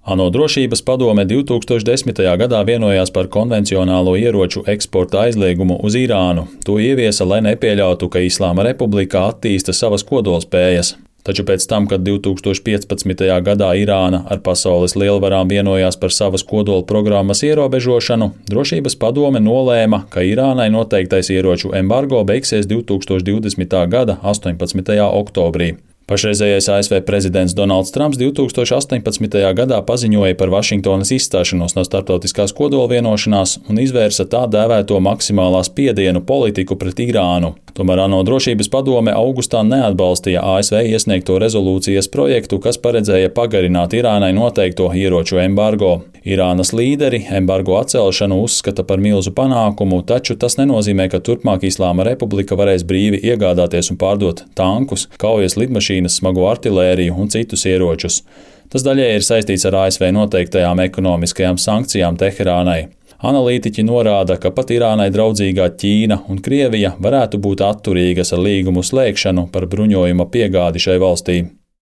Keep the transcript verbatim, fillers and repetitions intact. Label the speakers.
Speaker 1: ANO Drošības padome divtūkstoš desmitajā gadā vienojās par konvencionālo ieroču eksporta aizliegumu uz Irānu. To ieviesa, lai nepieļautu, ka Islāma Republika attīsta savas kodolspējas. Taču pēc tam, kad divtūkstoš piecpadsmitajā gadā Irāna ar pasaules lielvarām vienojās par savas kodola programmas ierobežošanu, Drošības padome nolēma, ka Irānai noteiktais ieroču embargo beigsies divtūkstoš divdesmitā gada astoņpadsmitajā oktobrī. Pašreizējais A S V prezidents Donalds Trumps divtūkstoš astoņpadsmitajā gadā paziņoja par Vašingtonas izstāšanos no starptautiskās kodola vienošanās un izvērsa tā dēvēto maksimālā spiedienu politiku pret Irānu. Tomēr ANO Drošības padome augustā neatbalstīja A S V iesniegto rezolūcijas projektu, kas paredzēja pagarināt Irānai noteikto ieroču embargo. Irānas līderi embargo atcelšanu uzskata par milzu panākumu, taču tas nenozīmē, ka turpmāk Islāma Republika varēs brīvi iegādāties un pārdot tankus, kaujas lidmašīnas, smago artilēriju un citus ieročus. Tas daļēji ir saistīts ar A S V noteiktajām ekonomiskajām sankcijām Teherānai. Analītiķi norāda, ka pat Irānai draudzīgā Ķīna un Krievija varētu būt atturīgas ar līgumu slēgšanu par bruņojuma piegādi šai valstī.